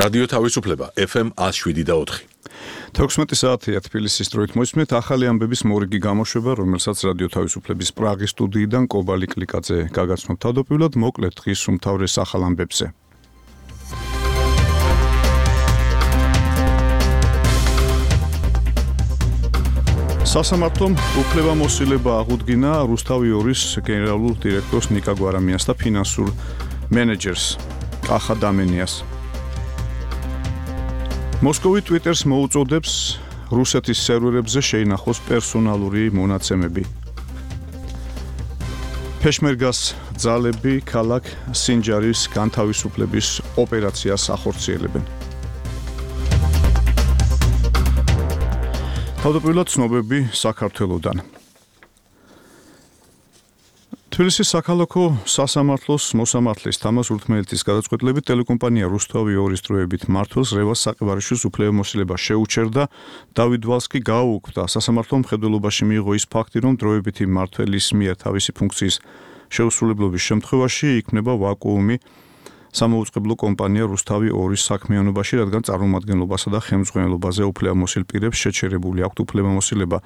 რადიო თავისუფლება FM 107.4. 16 საათია თბილისის დროით მოისმენთ ახალი ამბების მორიგი გამოშვება, რომელსაც რადიო თავისუფლების პრაღის სტუდიიდან კობალი კლიკაძე გაგაცნობ თავდაპირველად მოკლედ დღის უმთავრეს ახალ ამბებზე. სასამართლომ უფლებამოსილება აღუდგინა რუსთავი 2-ის გენერალურ დირექტორს ნიკა გვარამიას და ფინანსურ მენეჯერს კახა დამენიას. მოსკოვი Twitter-ს მოუწოდებს რუსეთის სერვერებზე შეინახოს პერსონალური მონაცემები. პეშმერგას ძალები ქალაქ სინჯარის განთავისუფლების ოპერაციას ახორციელებენ. თავდაპირველად ცნობები საქართველოდან. თბილისის საქალაქო სასამართლოს მოსამართლის თამაზ ურთმელეთის გადაწყვეტილებით ტელეკომპანია რუსთავი 2-ის დროებით მმართველს რევაზ საყივარიშვილს უფლებამოსილება შეუჩერდა. დავით ვალსკი გააუქმდა სასამართლო მხედველობაში მიიღო ის ფაქტი, რომ დროებითი მმართველის მიერ თავისი ფუნქციის შეუსრულებლობის შემთხვევაში იქმნება ვაკუუმი სამოუწყებლო კომპანია რუსთავი 2-ის საქმიანობაში, რადგან წარმომადგენლობასა და ხელმძღვანელობაზე უფლებამოსილ პირებს შეჩერებული აქვთ უფლებამოსილება.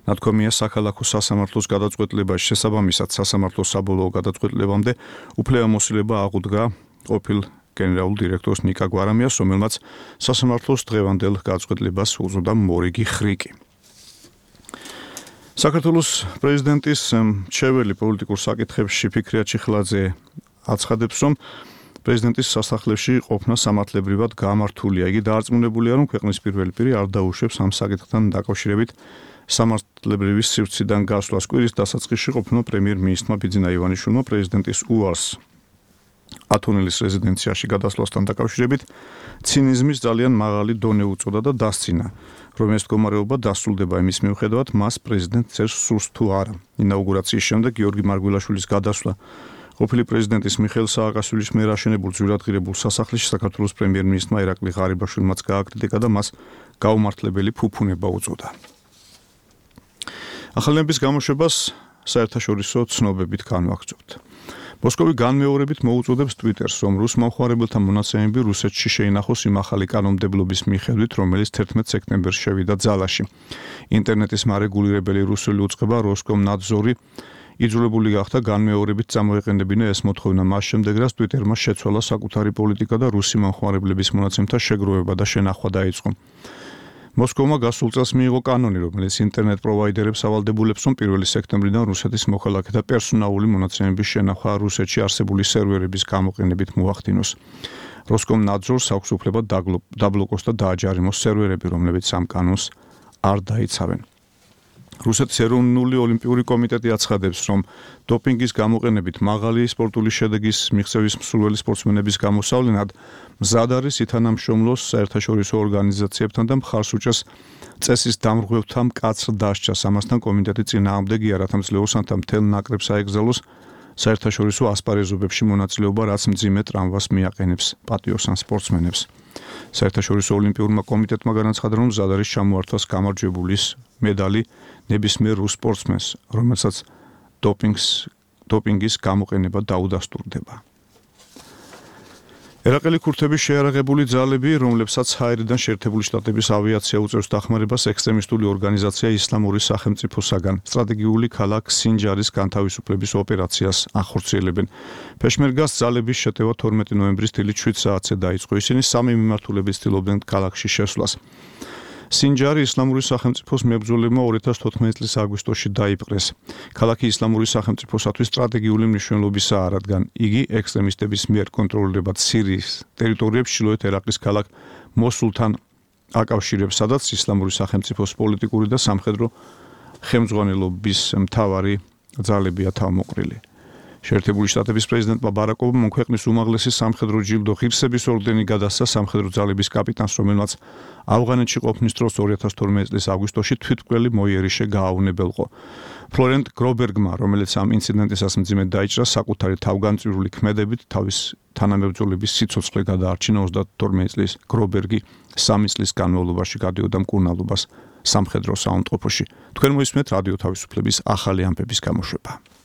ნათქვამია საქალაქო სასამართლოს გადაწყვეტილებაში, შესაბამისად სასამართლოს საბოლოო გადაწყვეტილებამდე უფლებამოსილება აღუდგა ყოფილ გენერალურ დირექტორს ნიკა გვარამიას, რომელმაც სასამართლოს დღევანდელ გადაწყვეტილებას უწოდა მორიგი ხრიკი. საქართველოს პრეზიდენტის მრჩეველი პოლიტიკურ საკითხებში ფიქრია ჩიხლაძე აცხადებს, რომ პრეზიდენტის სასახლეში ყოფნა სამართლებრივად გამართულია. იგი დაარწმუნებულია, რომ ქვეყნის პირველი პირი არ დაუშვებს ამ საკითხთან დაკავშირებით სამართლებრივი სივრციდან გასვლას. კვირის დასაწყისში ყოფნა პრემიერ-მინისტრმა ბიძინა ივანიშვილმა პრეზიდენტის უარს ათონელის რეზიდენციაში გადასვლასთან დაკავშირებით ცინიზმის ძალიან მაღალი დონე უწოდა და დასცინა, რომ ეს მდგომარეობა დასრულდება იმის მიუხედავად, მას პრეზიდენტს წერს სურს თუ არა. ინაუგურაციის შემდეგ გიორგი მარგველაშვილის გადასვლა ყოფილი პრეზიდენტის მიხეილ სააკაშვილის მიერ აშენებულ ძვირადღირებულ სასახლეში საქართველოს პრემიერ-მინისტრმა ირაკლი ღარიბაშვილმაც გააკრიტიკა და მას გაუმართლებელი ფუფუნება უწოდა. ახალების გამოშვებას საერთაშორისო ცნობებით განვაგრძობთ. მოსკოვი განმეორებით მოუწოდებს Twitter-ს, რომ რუს მომხმარებელთა მონაცემები რუსეთში შეინახოს იმ ახალი კანონმდებლობის მიხედვით, რომელიც 11 სექტემბერს შევიდა ძალაში. ინტერნეტის მარეგულირებელი რუსული უწყება როსკომნადზორი იძულებული გახდა განმეორებით წამოეყენებინა ეს მოთხოვნა მას შემდეგ, რაც Twitter-მა შეცვალა საკუთარი პოლიტიკა და რუსი მომხმარებლების მონაცემთა შეგროვება და შენახვა დაიწყო. მოსკოვმა გასულ წელს მიიღო კანონი, რომელიც ინტერნეტ პროვაიდერებს ავალდებულებს, რომ 1 სექტემბრიდან რუსეთის მოქალაქეთა პერსონალური მონაცემების შენახვა რუსეთში არსებული სერვერების გამოყენებით მოახდინოს. როსკომნადზორს აქვს უფლება დაბლოკოს და დააჯარიმოს სერვერები, რომლებიც ამ კანონს არ დაიცავენ. რუსეთის ეროვნული ოლიმპიური კომიტეტი აცხადებს, რომ დოპინგის გამოყენებით მაღალი სპორტული შედეგის მიღწევის მსურველი სპორტსმენების გამოსავლენად მზად არის ითანამშრომლოს საერთაშორისო ორგანიზაციებთან და მხარს უჭერს წესის დამრღვევთა მკაცრ დასჯას. ამასთან კომიტეტი წინააღმდეგია, რათა მძლეოსანთა მთელ ნაკრებს აეგზალოს საერთაშორისო ასპარეზობებში მონაწილეობა, რაც მძიმე ტრამვას მიაყენებს პატიოსან სპორტსმენებს. საერთაშორისო ოლიმპიურმა კომიტეტმა განაცხადა, რომ მზად არის ჩამოართვას გამარჯვებულის მედალი ნებისმიერ რუს სპორტსმენს, რომელსაც დოპინგის გამოყენება დაუდასტურდება. ერაყელი ქურთების შეიარაღებული ძალები, რომლებსაც ჰაერიდან შეერთებული შტატების ავიაცია უწევს დახმარებას, ექსტრემისტული ორგანიზაცია ისლამური სახელმწიფოსაგან სტრატეგიული ქალაქ სინჯარის განთავისუფლების ოპერაციას ახორციელებენ. პეშმერგას ძალების შეტევა 12 ნოემბრის დილით 7 საათზე დაიწყო. ისინი სამი მიმართულებით ცდილობდნენ ქალაქში შესვლას. სინჯარი ისლამური სახელმწიფოს მებრძოლებმა 2014 წლის აგვისტოში დაიპყრეს. ქალაქი ისლამური სახელმწიფოსათვის სტრატეგიული მნიშვნელობისაა, რადგან იგი ექსტრემისტების მიერ კონტროლირებად სირიის ტერიტორიებს ჩრდილოეთ ერაყის ქალაქ მოსულთან აკავშირებს, სადაც ისლამური სახელმწიფოს პოლიტიკური და სამხედრო ხელმძღვანელობის მთავარი ძალებია თავმოყრილი. შეერთებული შტატების პრეზიდენტმა ბარაკ ობამამ ქვეყნის უმაღლესი სამხედრო ჯილდო ღირსების ორდენი გადასცა სამხედრო ძალების კაპიტანს, რომელმაც ავღანეთში ყოფნის დროს 2012 წლის აგვისტოში თვითმკვლელი მოიერიშე გააუნებელყო. ფლორენტ გრობერგმა, რომელიც ამ ინციდენტისას მძიმედ დაიჭრა, საკუთარი თავგანწირული ქმედებით თავის თანამებრძოლების სიცოცხლე გადაარჩინა. 32 წლის გრობერგი 3 წლის განმავლობაში გადიოდა მკურნალობას სამხედრო საუნდტროფოში. თქვენ მოისმენთ რადიო თავისუფლების ახალი ამბების გამოშვება.